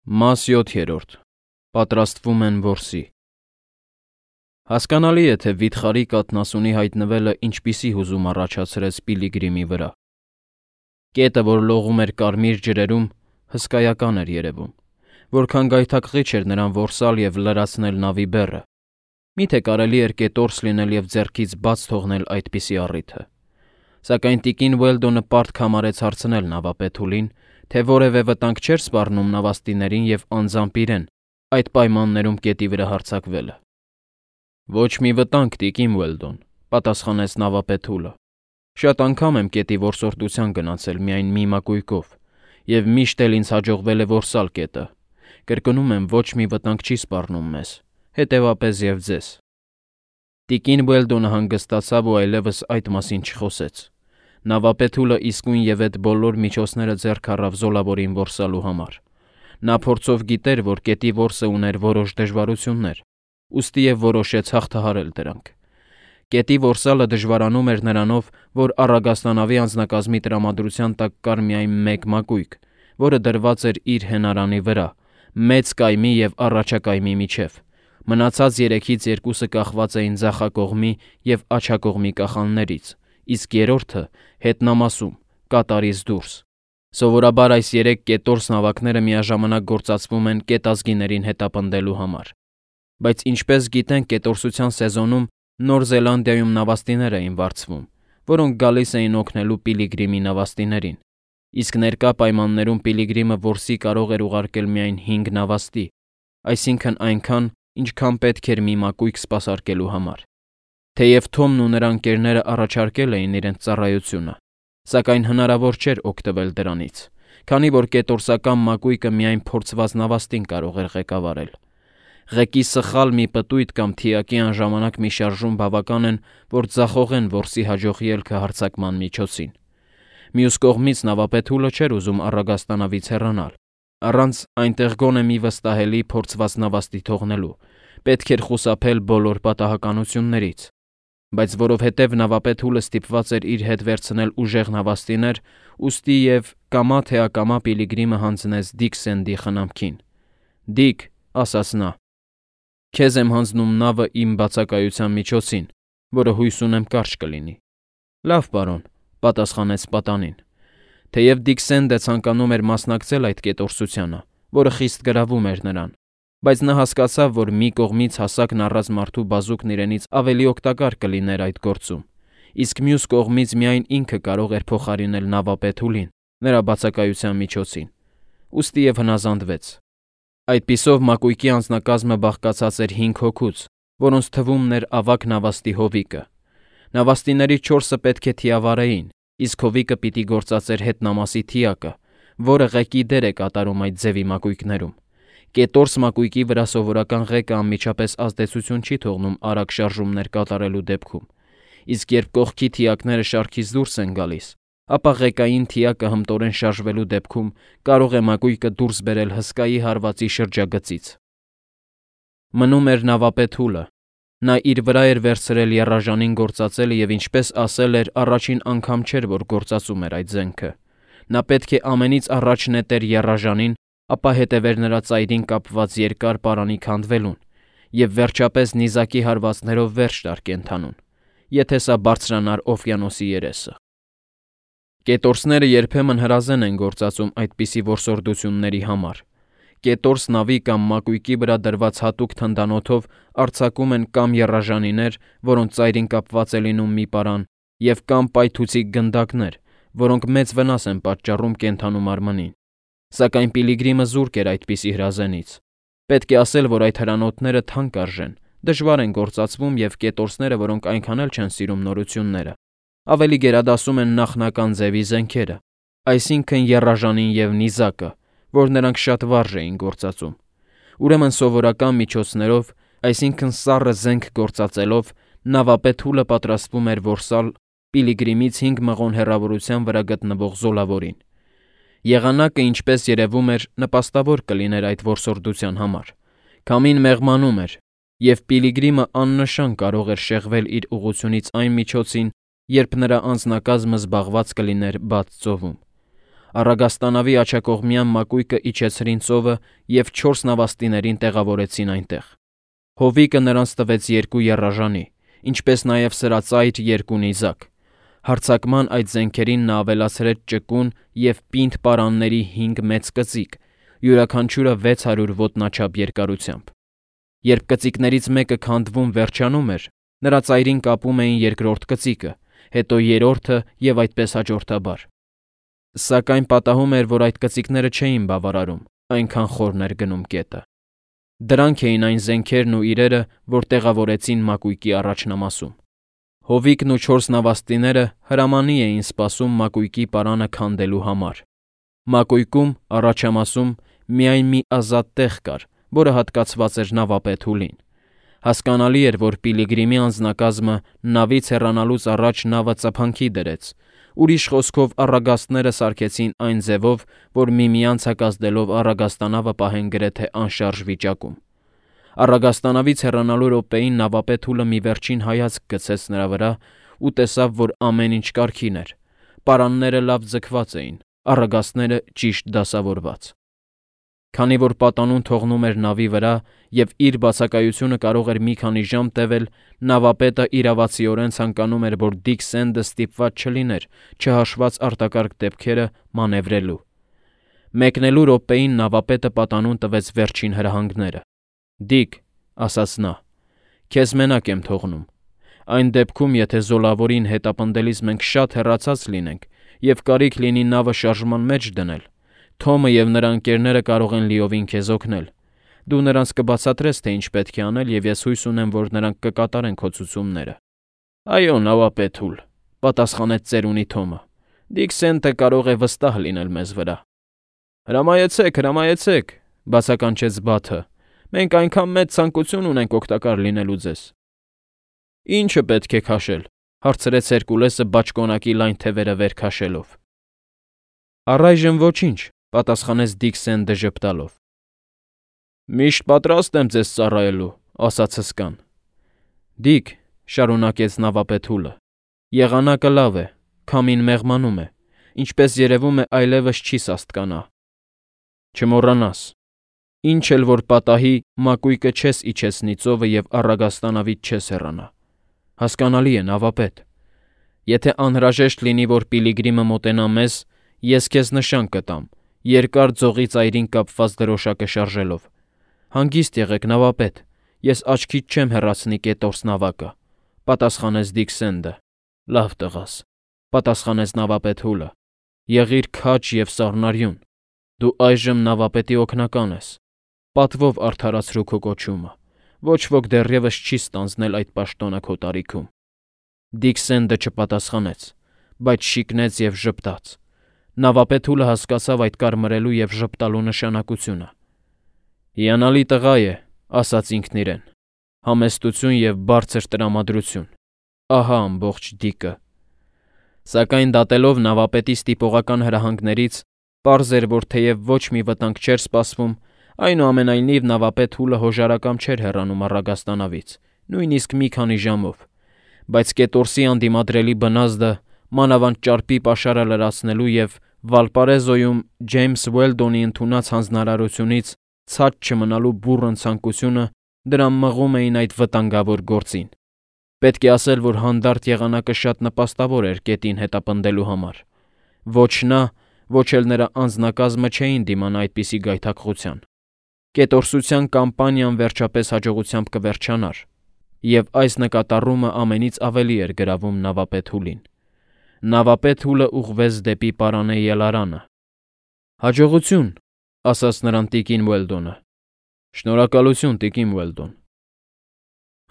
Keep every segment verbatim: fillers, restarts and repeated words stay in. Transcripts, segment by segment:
Մաս յոթերորդ. Պատրաստվում են որսի։ Հասկանալի է, թե վիթխարի կաթնասունի հայտնվելը ինչպիսի հուզում առաջացրեց Պիլիգրիմի վրա։ Կետը, որ լողում էր կարմիր ջրերում, հսկայական էր երևում, որքան գայթակղիչ էր նրան որսալ և լրացնել նավի բեռը։ Միթե կարելի էր կետորս լինել և ձեռքից բաց թողնել այդպիսի առիթը։ Սակայն տիկին Ուելդոնը պարտք համարեց հարցնել նավապետուլին, թե որևէ վտանգ չէր սպառնում նավաստիներին և անձամբ իրեն այդ պայմաններում կետի վրա հարձակվելը։ Ոչ մի վտանգ, տիկին Ուելդոն, պատասխանեց նավապետուլը։ Շատ անգամ եմ կետի որսորդության գնացել միայն մի մակույկով, և միշտ էլ ինձ հաջողվել է որսալ կետը։ Կրկնում եմ, ոչ մի վտանգ չի սպառնում մեզ, հետևապես և ձեզ։ Տիկին Ուելդոնը հանգստացավ ու այլևս այդ մասին չխոսեց։ Նավապետուլը իսկույն և էդ բոլոր միջոցները ձեռք առավ զոլավորին որսալու համար։ Նա փորձով գիտեր, որ կետի որսը ուներ որոշ դժվարություններ, ուստի և որոշեց հաղթահարել դրանք։ Կետի որսալը դժվարանում էր նրանով, որ առագաստանավի անձնակազմի տրամադրության տակ կար միայն մեկ մակույկ, որը դրված էր իր հենարանի վրա, մեծ կայմի և առաջակայմի միջև։ Մնացած երեքից երկուսը կախված էին ձախակողմի և աջակողմի կախաններից, իսկ երրորդը՝ հետնամասում, կատարից դուրս։ Սովորաբար այս երեք կետորս նավակները միաժամանակ գործածվում են կետազգիներին հետապնդելու համար։ Բայց ինչպես գիտենք, կետորսության սեզոնում Նոր Զելանդիայում նավաստիներ էին վարձվում, որոնք գալիս էին օգնելու Պիլիգրիմի նավաստիներին, իսկ ներկա պայմաններում Պիլիգրիմը որսի կարող էր ուղարկել միայն հինգ նավաստի, այսինքն այնքան, ինչքան պետք էր մի մակույկ սպասարկելու համար։ Թեև Թոմն ու նրա ընկերները առաջարկել էին իրենց ծառայությունը, սակայն հնարավոր չէր օգտվել դրանից, քանի որ կետորսական մակույկը միայն փորձված նավաստին կարող էր ղեկավարել։ Ղեկի սխալ մի պտույտ կամ թիակի անժամանակ մի շարժում բավական են, որ ձախողեն որսի հաջող ելքը հարձակման միջոցին։ Մյուս կողմից նավապետուլը չէր ուզում առագաստանավից հեռանալ, առանց այնտեղ գոնե մի վստահելի փորձված նավաստի թողնելու, պետք էր խուսափել բոլոր պատահականություններից, բայց որովհետև նավապետուլը ստիպված էր իր հետ վերցնել ուժեղ նավաստիներ, ուստի և կամա թե ակամա Պիլիգրիմը հանձնեց Դիկ Սենդի խնամքին։ «Դիկ», ասաց նա, «քեզ եմ հանձնում նավը իմ բացակայության միջոցին, որը հույս ունեմ կարճ կլինի»։ «Լավ, պարոն», պատասխանեց պատանին։ Թեև Դիկ Սենդը ցանկանում էր մասնակցել այդ կետորսությանը, որը խիստ գրավում էր նրան, բայց նա հասկացավ, որ մի կողմից հասակն առած մարդու բազուկն իրենից ավելի օգտակար կլիներ այդ գործում, իսկ մյուս կողմից միայն ինքը կարող էր փոխարինել նավապետուլին նրա բացակայության միջոցին, ուստի և հնազանդվեց։ Այդպիսով մակույկի անձնակազմը բաղկացած էր հինգ հոգուց, որոնց թվում էր ավագ նավաստի Հովիկը։ Նավաստիներից չորսը պետք է թիավարեին, իսկ Հովիկը պիտի գործածեր հետնամասի թիակը, որը ղեկի դեր է կատարում այդ ձևի մակույկներում։ Կետորս մակույկի վրա սովորական ղեկը անմիջապես ազդեցություն չի թողնում արագ շարժումներ կատարելու դեպքում, իսկ երբ կողքի թիակները շարքից դուրս են գալիս, ապա ղեկային թիակը հմտորեն շարժվելու դեպքում կարող է մակույկը դուրս բերել հսկայի հարվածի շրջագծից։ Մնում էր նավապետուլը։ Նա իր վրա էր վերցրել եռաժանին գործածելը և, ինչպես ասել էր, առաջին անգամ չէր, որ գործածում էր այդ զենքը։ Նա պետք է ամենից առաջ նետեր եռաժանին, ապա հետևեր նրա ծայրին կապված երկար պարանի քանդվելուն և վերջապես նիզակի հարվածներով վերջ տար կենդանուն, եթե սա բարձրանար օվկիանոսի երեսը։ Կետորսները երբեմն հրազեն են գործածում այդպիսի որսորդությունների համար։ Կետորս նավի կամ մակույկի վրա դրված հատուկ թնդանոթով արձակում են կամ եռաժանիներ, որոնց ծայրին կապված է լինում մի պարան, և կամ պայթուցիկ գնդակներ, որոնք մեծ վնաս են պատճառում կենդանու մարմնին։ Սակայն Պիլիգրիմը զուրկ էր այդպիսի հրազենից։ Պետք է ասել, որ այդ հրանոթները թանկ արժեն, դժվար են գործածվում և կետորսները, որոնք այնքան էլ չեն սիրում նորությունները, ավելի գերադասում են նախնական ձևի զենքերը, այսինքն եռաժանին և նիզակը, որ նրանք շատ վարժ էին գործածում։ Ուրեմն սովորական միջոցներով, այսինքն սառը զենք գործածելով, նավապետուլը պատրաստվում էր որսալ Պիլիգրիմից հինգ մղոն հեռավորության վրա գտնվող զոլավորին։ Եղանակը, ինչպես երևում էր, նպաստավոր կլիներ այդ որսորդության համար։ Քամին մեղմանում էր, և Պիլիգրիմը աննշան կարող էր շեղվել իր ուղղությունից այն միջոցին, երբ նրա անձնակազմը զբաղված կլիներ բաց ծովում։ Առագաստանավի աջակողմյան մակույկը իջեցրին ծովը և չորս նավաստիներին տեղավորեցին այնտեղ։ Հովիկը նրանց տվեց երկու եռաժանի, ինչպես նաև սրածայր երկու նիզակ։ Հարձակման այդ զենքերին նա ավելացրեց ճկուն և պինդ պարանների հինգ մեծ կծիկ, յուրաքանչյուրը վեց հարյուր ոտնաչափ երկարությամբ։ Երբ կծիկներից մեկը քանդվում վերջանում էր, նրա ծայրին կապում էին երկրորդ կծիկը, հետո երրորդը և այդպես հաջորդաբար։ Սակայն պատահում էր, որ այդ կծիկները չէին բավարարում, այնքան խորն էր գնում կետը։ Դրանք էին այն զենքերն ու իրերը, որ տեղավորեցին մակույկի առաջնամասում։ Հովիկն ու չորս նավաստիները հրամանի էին սպասում մակույկի պարանը քանդելու համար։ Մակույկում, առաջամասում, միայն մի ազատ տեղ կար, որը հատկացված էր նավապետ Հուլին։ Հասկանալի էր, որ Պիլիգրիմի անձնակազմը նավից հեռանալուց առաջ նավը ծափանքի դրեց, ուրիշ խոսքով առագաստները սարքեցին այն ձևով, որ միմյանց հակազդելով առագաստանավը պահեն գրեթե անշարժ վիճակում։ Առագաստանավից հեռանալու րոպեին նավապետ Հուլը մի վերջին հայացք գցեց նրա վրա ու տեսավ, որ ամեն ինչ կարգին էր։ Պարանները լավ ձգված էին, առագաստները ճիշտ դասավորված։ Քանի որ պատանուն թողնում էր նավի վրա և իր բացակայությունը կարող էր մի քանի ժամ տևել, նավապետը իրավացիորեն ցանկանում էր, որ Դիք Սենդը ստիպված չլիներ, չհաշված արտակարգ դեպքերը, մանևրելու։ Մեկնելու րոպեին նավապետը պատանուն տվեց վերջին հրահանգները։ «Դիք», ասաց նա, «քեզ մենակ եմ թողնում։ Այն դեպքում, եթե զոլավորին հետապնդելիս մենք շատ հեռացած լինենք և կարիք լինի նավը շարժման մեջ դնել, Թոմը և նրա ընկերները կարող են լիովին քեզ օգնել։ Դու նրանց կբացատրես, թե ինչ պետք է անել, և ես հույս ունեմ, որ նրանք կկատարեն քո ցուցումները»։ «Այո, նավապետ Հուլ», պատասխանեց ծերունի Թոմը, «Դիք Սենտը կարող է վստահ լինել մեզ վրա»։ «Հրամայեցեք, հրամայեցեք», բացականչեց Բաթը, «մենք այնքան մեծ ցանկություն ունենք օգտակար լինելու ձեզ»։ «Ի՞նչը պետք է քաշել», հարցրեց Հերկուլեսը բաճկոնակի լայն թևերը վեր քաշելով։ «Առայժմ ոչինչ», պատասխանեց Դիք Սենդը ժպտալով։ «Միշտ պատրաստ եմ ձեզ ծառայելու», ասաց հսկան։ «Դիք», շարունակեց նավապետ Հուլը, «եղանակը լավ է, քամին մեղմանում է, ինչպես երևում է, այլևս չի սաստկանա։ Չմոռանաս, ինչ էլ որ պատահի, մակույկը չես իջեցնի ծովը և առագաստանավից չես հեռանա։ Հասկանալի է, նավապետ։ Եթե անհրաժեշտ լինի, որ Պիլիգրիմը մոտենա մեզ, ես քեզ նշան կտամ, երկար ձողի ծայրին կապված դրոշակը շարժելով։ Հանգիստ եղեք, նավապետ, ես աչքից չեմ հեռացնի կետորս նավակը», պատասխանեց Դիք Սենդը։ «Լավ տղաս», պատասխանեց նավապետ Հուլը, «եղիր քաջ և սառնարյուն։ Դու այժմ նավապետի օգնական ես։ Պատվով արդարացրու քո կոչումը։ Ոչ ոք դեռևս չի ստանձնել այդ պաշտոնը քո տարիքում»։ Դիք Սենդը չպատասխանեց, բայց շիկնեց և ժպտաց։ Նավապետ Հուլը հասկացավ այդ կարմրելու և ժպտալու նշանակությունը։ «Հիանալի տղա է», ասաց ինքն իրեն, «համեստություն և բարձր տրամադրություն։ Ահա ամբողջ Դիկը»։ Սակայն դատելով նավապետի ստիպողական հրահանգներից, պարզ էր, որ թեև ոչ մի վտանգ չէր սպասվում, այնուամենայնիվ նավապետ Հուլը հոժարակամ չէր հեռանում առագաստանավից, նույնիսկ մի քանի ժամով, բայց կետորսի անդիմադրելի բնազդը, մանավանդ ճարպի պաշարը լրացնելու և Վալպարեզոյում Ջեյմս Ուելդոնի ընդունած հանձնարարությունից ցած չմնալու բուռն ցանկությունը դրան մղում էին այդ վտանգավոր գործին։ Պետք է ասել, որ հանդարտ եղանակը շատ նպաստավոր էր կետին հետապնդելու համար։ Ոչ նա, ոչ էլ նրա անձնակազմը չէին դիմանա այդպիսի գայթակղության։ Կետորսության կամպանիան վերջապես հաջողությամբ կվերջանար, և այս նկատառումը ամենից ավելի էր գրավում նավապետ Հուլին։ Նավապետ Հուլը ուղղվեց դեպի պարանե ելարանը։ «Հաջողություն», ասաց նրան տիկին Ուելդոնը։ «Շնորհակալություն, տիկին Ուելդոն»։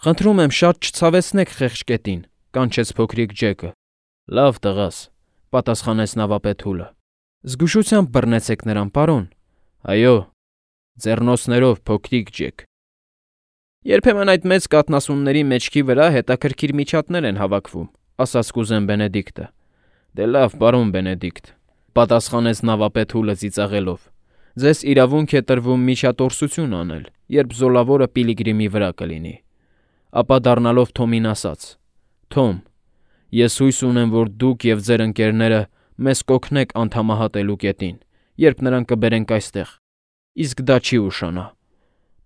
«Խնդրում եմ, շատ չցավեցնեք խեղճ կետին», կանչեց փոքրիկ Ջեկը։ «Լավ տղաս», պատասխանեց նավապետ Հուլը։ «Զգուշությամբ բռնեցեք նրան, պարոն»։ «Այո, ձեռնոցներով, փոքրիկ Ջեք»։ «Երբեմն այդ մեծ կաթնասունների մեջքի վրա հետաքրքիր միջատներ են հավաքվում», ասաց կուզեն Բենեդիկտը։ «Դե լավ, պարոն Բենեդիկտ», պատասխանեց նավապետ Հուլը ծիծաղելով։ «Ձեզ իրավունք է տրվում միջատորսություն անել, երբ զոլավորը Պիլիգրիմի վրա կլինի»։ Ապա դառնալով Թոմին ասաց. «Թոմ, ես հույս ունեմ, որ դուք և ձեր ընկերները մեզ կօգնեք անդամահատելու կետին, երբ նրան կբերենք այստեղ, իսկ դա չի ուշանա։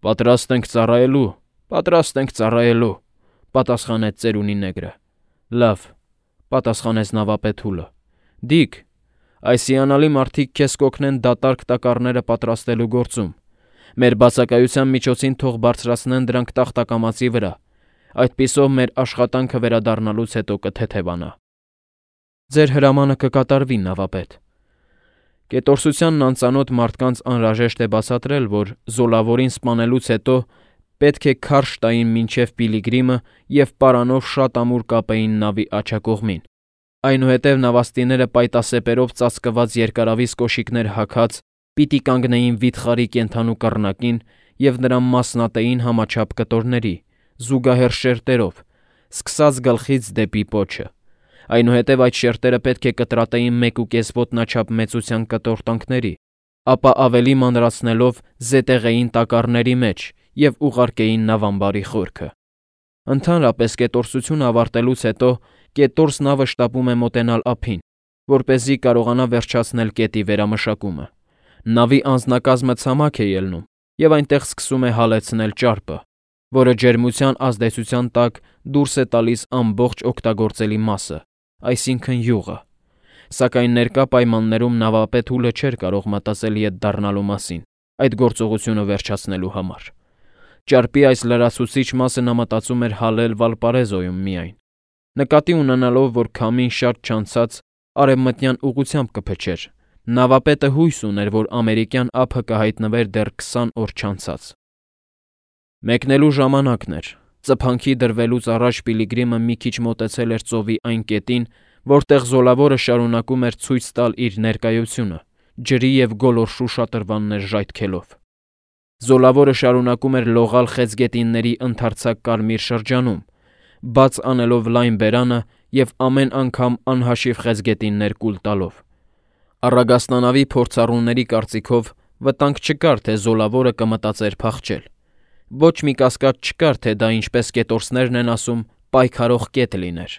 Պատրաստ ենք ծառայելու, պատրաստ ենք ծառայելու, պատասխանեց ծերունի նեգրը։ Լավ, պատասխանեց նավապետուլը։ Դիկ, այս հիանալի մարդիկ քեզ կօգնեն դատարկ տակառները պատրաստելու գործում։ Մեր բացակայության միջոցին թող բարձրացնեն դրանք տախտակամածի վրա։ Այդպիսով մեր աշխատանքը վերադառնալուց հետո կթեթևանա։ Ձեր հրամանը կկատարվի, նավապետ։ Կետորսությանն անծանոթ մարդկանց անհրաժեշտ է բացատրել, որ զոլավորին սպանելուց հետո պետք է քարշ տային մինչև Պիլիգրիմը և պարանով շատ ամուր կապեին նավի աջակողմին։ Այնուհետև նավաստիները պայտասեպերով ծածկված երկարավիզ կոշիկներ հագած պիտի կանգնեին վիթխարի կենդանու կռնակին և նրան մասնատեին համաչափ կտորների, զուգահեռ շերտերով, սկսած գլխից դեպի պոչը։ Այնուհետև այդ շերտերը պետք է կտրատեին մեկուկես ոտնաչափ մեծության կտորտանքների, ապա ավելի մանրացնելով զետեղեին տակառների մեջ և ուղարկեին նավամբարի խորքը։ Ընդհանրապես կետորսությունը ավարտելուց հետո կետորս նավը շտապում է մոտենալ ափին, որպեսզի կարողանա վերջացնել կետի վերամշակումը։ Նավի անձնակազմը ցամաք է ելնում, և այնտեղ սկսում է հալեցնել ճարպը, որը ջերմության ազդեցության տակ դուրս է տալիս ամբողջ օգտագործելի մասը, այսինքն՝ յուղը։ Սակայն ներկա պայմաններում նավապետուլը չէր կարող մտածել ետ դառնալու մասին այդ գործողությունը վերջացնելու համար։ Ճարպի այս լրացուցիչ մասը նա մտածում էր հալել Վալպարեզոյում միայն, նկատի ունենալով, որ քամին շատ չանցած արևմտյան ուղղությամբ կփչեր։ Նավապետը հույս ուներ, որ ամերիկյան ափը կհայտնվեր դեռ քսան օր չանցած։ Մեկնելու ժամանակն էր։ Ծփանքի դրվելուց առաջ Պիլիգրիմը մի քիչ մոտեցել էր ծովի այն կետին, որտեղ զոլավորը շարունակում էր ցույց տալ իր ներկայությունը, ջրի և գոլորշու շատրվաններ ժայթքելով։ Զոլավորը շարունակում էր լողալ խեցգետինների ընդարձակ կարմիր շրջանում, բաց անելով լայն բերանը և ամեն անգամ անհաշիվ խեցգետիններ կուլ տալով։ Առագաստանավի փորձառուների կարծիքով վտանգ չկար, թե զոլավորը կմտածեր փախչել։ Ոչ մի կասկած չկար, թե դա, ինչպես կետորսներն են ասում, պայքարող կետ լիներ։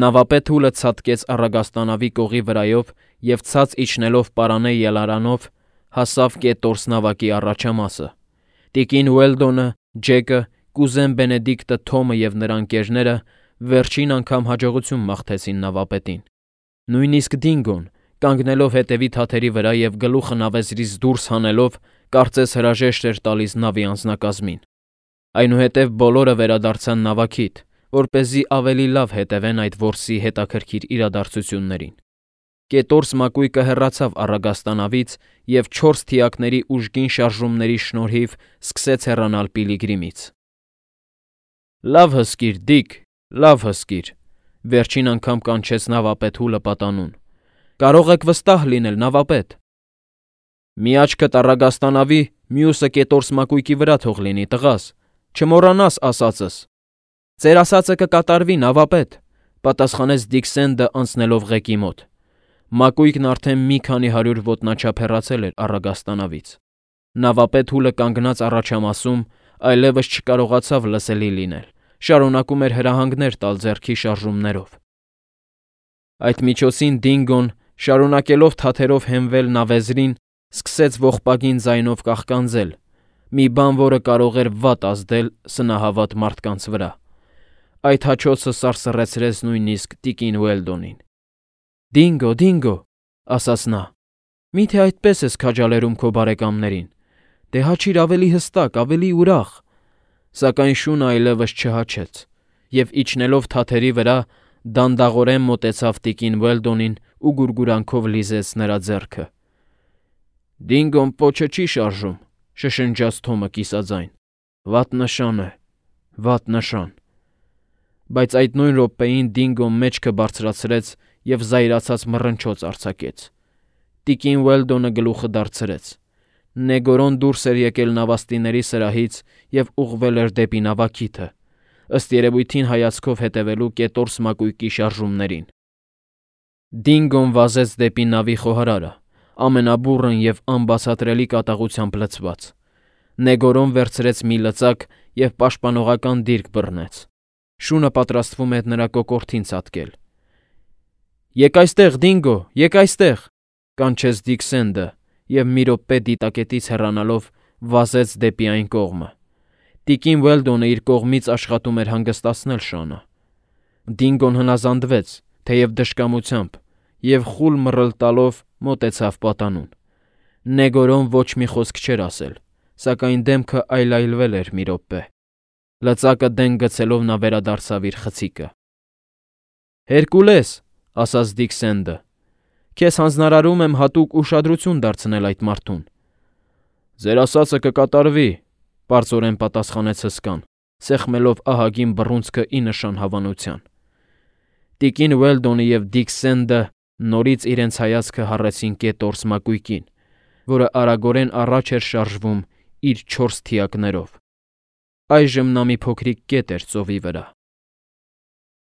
Նավապետուլը ցատկեց առագաստանավի կողի վրայով և ցած իջնելով պարանե ելարանով հասավ կետորս նավակի առաջամասը։ Տիկին Ուելդոնը, Ջեկը, կուզեն Բենեդիկտը, Թոմը և նրա ընկերները վերջին անգամ հաջողություն մաղթեցին նավապետին։ Նույնիսկ Դինգոն, կանգնելով հետևի թաթերի վրա և գլուխը նավեզրից դուրս հանելով, կարծես հրաժեշտ էր տալիս նավի անձնակազմին։ Այնուհետև բոլորը վերադարձան նավակիդ, որպեսզի ավելի լավ հետևեն այդ որսի հետաքրքիր իրադարձություններին։ Կետորս մակույկը հեռացավ առագաստանավից և չորս թիակների ուժգին շարժումների շնորհիվ սկսեց հեռանալ Պիլիգրիմից։ Լավ հսկիր, Դիկ, լավ հսկիր, վերջին անգամ կանչեց նավապետուլը պատանուն։ Կարող եք վստահ լինել, նավապետ։ Մի աչքդ առագաստանավի, մյուսը կետորս մակույկի վրա թող լինի, տղաս, չմոռանաս ասածս։ Ձեր ասածը կկատարվի, նավապետ, պատասխանեց Դիքսենդը անցնելով ղեկի մոտ։ Մակույկն արդեն մի քանի հարյուր ոտնաչափ հեռացել էր առագաստանավից։ Նավապետուլը կանգնած առաջամասում այլևս չկարողացավ լսելի լինել, շարունակում էր հրահանգներ տալ ձեռքի շարժումներով։ Այդ միջոցին Դինգոն, շարունակելով թաթերով հենվել նավեզրին, սկսեց ողբագին ձայնով կաղկանձել, մի բան, որը կարող էր վատ ազդել սնահավատ մարդկանց վրա։ Այդ հաչոցը սարսռեցրեց նույնիսկ տիկին Ուելդոնին։ Դինգո, Դինգո, ասաց նա, միթե այդպես ես քաջալերում քո բարեկամներին։ Դե հաչիր ավելի հստակ, ավելի ուրախ։ Սակայն շունը այլևս չհաչեց, և իջնելով թաթերի վրա, դանդաղորեն մոտեցավ տիկին Ուելդոնին ու գուրգուրանքով լիզեց նրա ձեռքը։ Դինգոն պոչը չի շարժում, շշնջաց Թոմը կիսաձայն։ Վատ նշան է, վատ նշան։ Բայց այդ նույն րոպեին Դինգոն մեջքը բարձրացրեց և զայրացած մռնչոց արձակեց։ Տիկին Ուելդոնը գլուխը դարձրեց։ Նեգորոն դուրս էր եկել նավաստիների սրահից և ուղղվել էր դեպի նավակիթը, ըստ երևույթին հայացքով հետևելու կետորս մակույկի շարժումներին։ Դինգոն վազեց դեպի նավի խոհարարը, ամենաբուռն և անբացատրելի կատաղությամբ լցված։ Նեգորոն վերցրեց մի լծակ և պաշտպանողական դիրք բռնեց։ Շունը պատրաստվում էր նրա կոկորդին ցատկել։ Եկ այստեղ, Դինգո, եկ այստեղ, կանչեց Դիքսենդը և մի րոպե դիտակետից հեռանալով վազեց դեպի այն կողմը։ Տիկին Ուելդոնը իր կողմից աշխատում էր հանգստացնել Շանը։ Դինգոն հնազանդվեց, թեև դժկամությամբ, և խուլ մռլ տալով մոտեցավ պատանուն։ Նեգորոն ոչ մի խոսք չէր ասել, սակայն դեմքը այլայլվել էր մի րոպե։ Լծակը դեն գցելով նա վերադարձավ իր խցիկը։ Հերկուլես, ասաց Դիքսենդը, քեզ հանձնարարում եմ հատուկ ուշադրություն դարձնել այդ մարդուն։ Ձեր ասածը կկատարվի, պարզորեն պատասխանեց հսկան, սեղմելով ահագին բռունցքը ի նշան հավանության։ Տիկին Ուելդոնը և Դիքսենդը նորից իրենց հայացքը հառեցին կետորս մակույկին, որը արագորեն առաջ էր շարժվում իր չորս թիակներով։ Այժմ նա մի փոքրիկ կետ էր ծովի վրա։